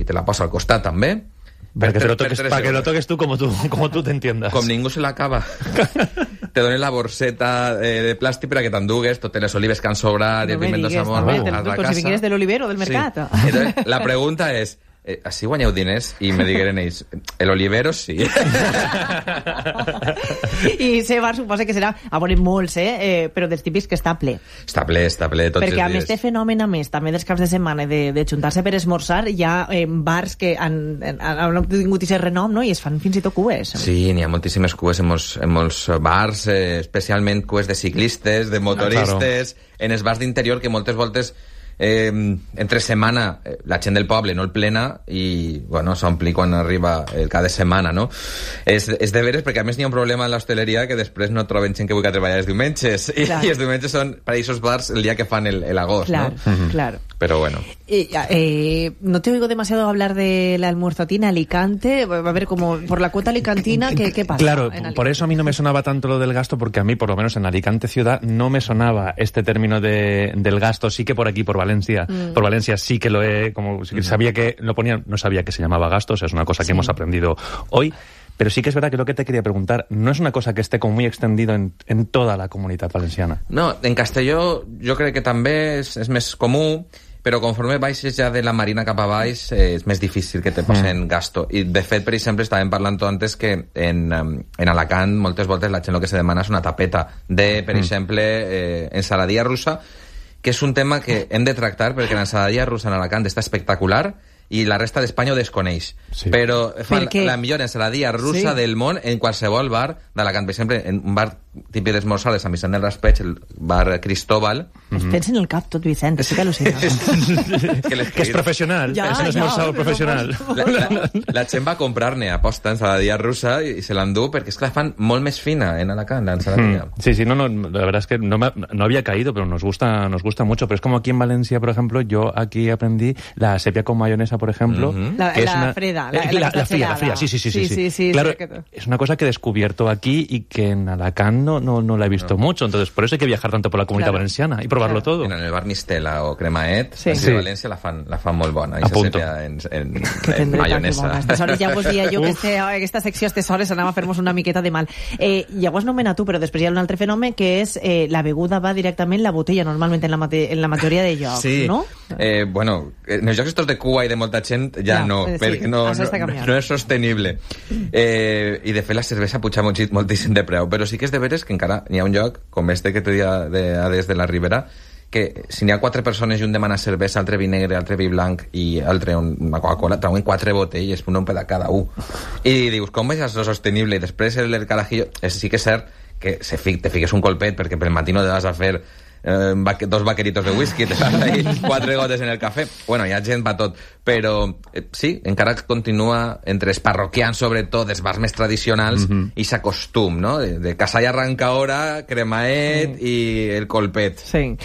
te la posa al costat també. Para que lo toques tú como tú te entiendas. Com ningú se l'acaba. Te donen la borseta de plàstic per a que t'endugues totes les olives que han sobrat i el piment de samón a la casa. Si vingués de l'oliver o del mercat. Sí. Entonces, la pregunta és, així guanyeu diners? I me digueren ells, el olivero sí. I Sebar suposa que serà, a veure, molts, però dels típics que està ple. Està ple tots els dies. Perquè a més té fenomen, a més, també dels caps de setmana de juntar-se per esmorzar, hi ha bars que han tingut aquest renom, no? I es fan fins i tot cues. Sí, n'hi ha moltíssimes cues en molts bars, especialment cues de ciclistes, de motoristes, en els bars d'interior que moltes voltes entre setmana la gent del poble no el plena i bueno, s'ompli quan arriba el cada setmana, no? És de veres perquè a més n'hi ha un problema en l'hostaleria que després no troben gent que vulgui treballar els diumenges i els diumenges són per a aquests bars el dia que fan l'agost, claro, ¿no? Claro. Pero bueno. No te oigo demasiado hablar del almuerzotín Alicante, a ver, como por la cuota alicantina, ¿qué pasa? Claro, por eso a mí no me sonaba tanto lo del gasto, porque a mí, por lo menos en Alicante ciudad, no me sonaba este término del gasto. Sí que por aquí, por Valencia sí que lo he, como sabía que lo ponían, no sabía que se llamaba gasto, o sea, es una cosa que hemos aprendido hoy. Pero sí que es verdad que lo que te quería preguntar no es una cosa que esté como muy extendido en toda la comunitat valenciana. No, en Castelló jo crec que també és més comú, però conforme baixes ja de la Marina cap a baix és més difícil que te posen gasto. I de fet, per exemple, estàvem parlant antes que en Alacant moltes voltes la gent el que se demana és una tapeta de, per exemple, ensaladilla russa, que és un tema que hem de tractar perquè l'ensaladilla russa en Alacant està espectacular i la resta d'Espanya ho desconeix. Sí. Però fan la millor ensaladilla russa del món en qualsevol bar d'Alacant. Per exemple, en un bar típic d'esmorzar de Sant Vicent del Raspeig, el bar Cristóbal. Es pensa en el cap tot, Vicent, estic al·lucinant. Que és professional, és un esmorzador professional. La gent va comprar-ne aposta ensaladilla russa i se l'endú perquè és que la fan molt més fina en Alacant, la ensaladilla. Sí, no, la verdad es que no había caído, pero nos gusta mucho. Pero es como aquí en Valencia, por ejemplo, yo aquí aprendí la sepia con mayonesa, por ejemplo. La fría, sí. Claro, es una cosa que he descubierto aquí y que en Alacant no la he visto mucho. Entonces, por eso hay que viajar tanto por la comunitat valenciana y probarlo todo. En el bar Mistela o Cremaet, de València la fan molt bona. I se sepia en mayonesa. Aleshores ja vos dia jo que aquesta secció a aquestes hores anava a fer-nos una miqueta de mal. Llavors no mena tu, però després hi ha un altre fenomen que és la beguda va directament la botella, normalment en la majoria de llocs, no? Bueno, en els llocs estos de Cuba i de molta gent ja no, perquè no és sostenible. I de fet la cervesa puja moltíssim de preu, però sí que és de veres que encara n'hi ha un lloc, com este que te dia des de la Ribera, que si n'hi ha 4 persones i un demana cervesa, altre vi negre, altre vi blanc i altre una Coca-Cola, trauen 4 botelles, un per a cada un. I dius, com és això sostenible? I després el carajillo, sí que és cert que te fiques un colpet perquè pel matí no te vas a fer 2 vaqueritos de whisky, te vas ahí 4 gotes en el cafè. Bueno, hi ha gent per tot, però sí, encara continua entre els parroquians, sobretot, els bars més tradicionals, i s'acostum, no? De Casa i Arrancahora, Cremaet i el colpet. Sí.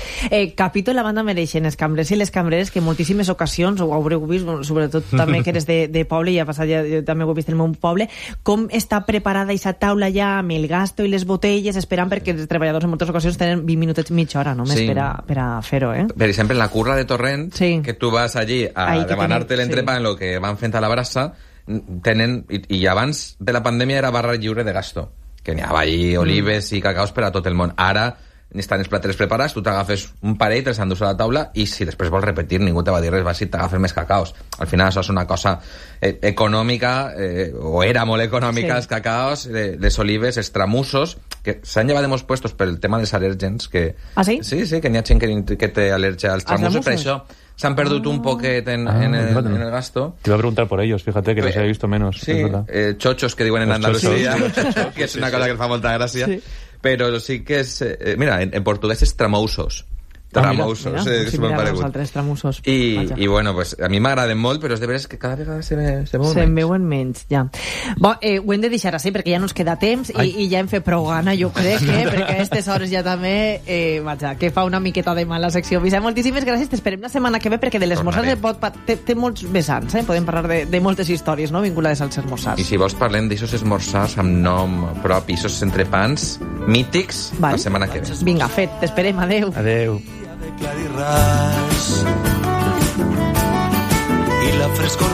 Capítol la banda mereixen els cambrers i les cambreres que en moltíssimes ocasions, ho haureu vist, sobretot també que eres de poble i ha passat ja, jo també ho he vist en el meu poble, com està preparada aquesta taula ja amb el gasto i les botelles, esperant perquè els treballadors en moltes ocasions tenen 20 minutets, mitja hora només per a fer-ho, Per exemple, en la curra de Torrent, que tu vas allí a demanar-te l'entrepà en el que van fent a la brasa, tenen, i abans de la pandèmia era barra lliure de gasto, que n'hi havia allí olives i cacaos per a tot el món. Ara estan els plateres preparats, tu t'agafes un parell, te'ls endús a la taula i si després vols repetir ningú te va dir res, vas i t'agafes més cacaos. Al final això és una cosa econòmica, o era molt econòmica, els cacaos, les olives, els tramussos, que s'han llevat de molts puestos pel tema dels al·lèrgens. Ah, sí? Sí, que n'hi ha gent que té al·lèrgia als tramussos, per això s'han perdut un poquet en el gasto. Te iba a preguntar por ellos, fíjate que los he visto menos. Sí, chochos que diuen en Andalucía, que és una cosa que fa molta gràcia. Però sí que és... mira, en portuguès és tramousos. Tramousos, és molt paregut. I bueno, pues, a mi m'agraden molt, però és de veres que cada vegada se veuen menys, ja. Bo, ho hem de deixar així, perquè ja no ens queda temps i ja hem fet prou gana, jo crec, perquè a aquestes hores ja també, vaja, que fa una miqueta de mal la secció. Vicent, moltíssimes gràcies, t'esperem la setmana que ve, perquè de l'esmorzar té molts vessants, podem parlar de moltes històries, no?, vinculades als esmorzars. I si vols parlem d'aixòs esmorzars amb nom propi, aquests entrepans mítics, la setmana que ve. Vinga, fet, t'esperem, adeu. Adeu. Clarirràs i la frescor